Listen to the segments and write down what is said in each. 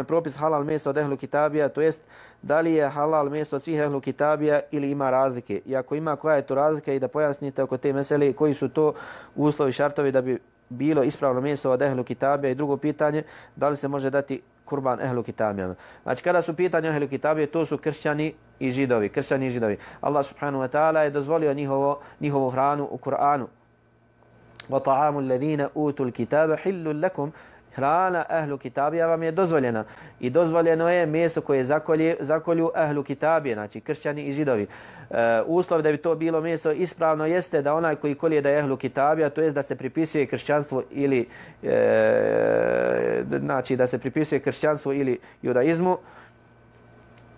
propis halal meso od ehlu kitabija, to jest da li je halal meso od svih ehlu kitabija ili ima razlike. I ako ima, koja je to razlika i da pojasnite oko te mesele koji su to uslovi, šartovi da bi bilo ispravno meso od ehlu kitabija. I drugo pitanje, da li se može dati kurban ehlu kitabijama. Znači kada su pitanje ehlu kitabije, to su kršćani i židovi. Kršćani i židovi. Allah subhanahu wa ta'ala je dozvolio njihovu hranu u Kur'anu. وَطَعَامُ الَّذِينَ أُوتُوا الْكِتَابَ حِلٌّ لَكُمْ. Hrana ehlu kitabija vam je dozvoljena. I dozvoljeno je meso koje zakolju ehlu kitabije, znači kršćani i židovi. Uslov da bi to bilo meso ispravno jeste da onaj koji kolje da je ehlu kitabija, to jest da se pripisuje kršćanstvo ili znači da se pripisuje kršćanstvu ili judaizmu.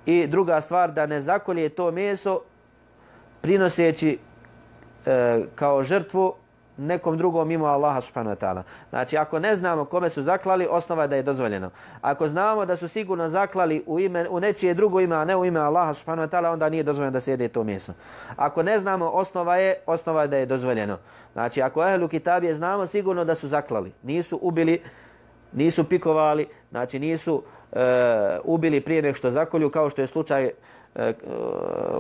I druga stvar, da ne zakolje to meso prinoseći kao žrtvu nekom drugom mimo Allaha subhanahu wa ta'ala. Znači, ako ne znamo kome su zaklali, osnova je da je dozvoljeno. Ako znamo da su sigurno zaklali u nečije drugo ime, a ne u ime Allaha subhanahu wa ta'ala, onda nije dozvoljeno da se jede to meso. Ako ne znamo, osnova je da je dozvoljeno. Znači, ako ehlu kitabije znamo sigurno da su zaklali. Nisu ubili, nisu pikovali, znači nisu ubili prije nego što zakolju, kao što je slučaj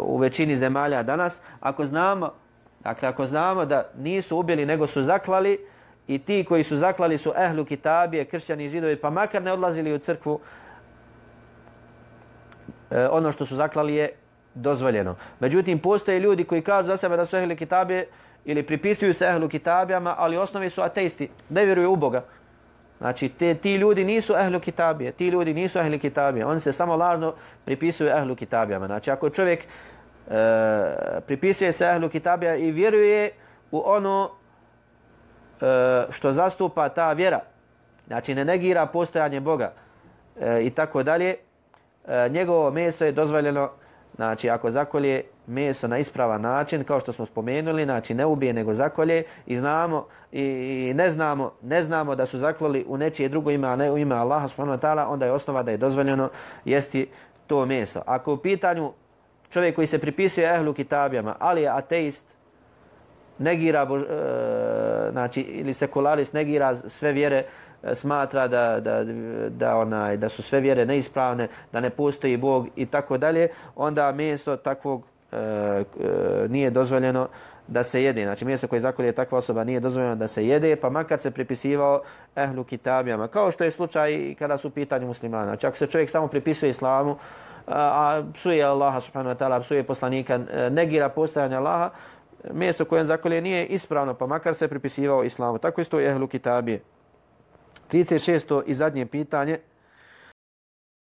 u većini zemalja danas. Ako znamo da nisu ubili nego su zaklali i ti koji su zaklali su ehlu kitabije, kršćani i židovi, pa makar ne odlazili u crkvu, ono što su zaklali je dozvoljeno. Međutim, postoje ljudi koji kažu za sebe da su ehlu kitabije ili pripisuju se ehlu kitabijama, ali u osnovi su ateisti, ne vjeruju u Boga. Znači, ti ljudi nisu ehlu kitabije, ti ljudi nisu ehlu kitabije, oni se samo lažno pripisuju ehlu kitabijama. Znači, ako čovjek pripisuje se ehlu kitabija i vjeruje u ono što zastupa ta vjera, znači ne negira postojanje Boga i tako dalje, njegovo meso je dozvoljeno. Znači ako zakolje meso na ispravan način, kao što smo spomenuli, znači ne ubije nego zakolje i znamo i ne znamo da su zaklali u nečije drugo ime, a ne u ime Allaha subhanahu wa ta'ala, onda je osnova da je dozvoljeno jesti to meso. Ako u pitanju čovjek koji se pripisuje ehlu kitabijama, ali je ateist, negira, znači, ili sekularist, negira sve vjere, smatra da su sve vjere neispravne, da ne postoji Bog i tako dalje, onda meso takvog nije dozvoljeno da se jede. Znači meso koje zakolje takva osoba nije dozvoljeno da se jede, pa makar se pripisivao ehlu kitabijama. Kao što je slučaj kada su u pitanju muslimana. Znači ako se čovjek samo pripisuje islamu, a psuje Allaha subhanahu wa ta'ala, psuje poslanika, negira postojanje Allaha, mjesto koje zakolje nije ispravno, pa makar se pripisivao islamu. Tako isto je ehlu kitabije. 36. i zadnje pitanje.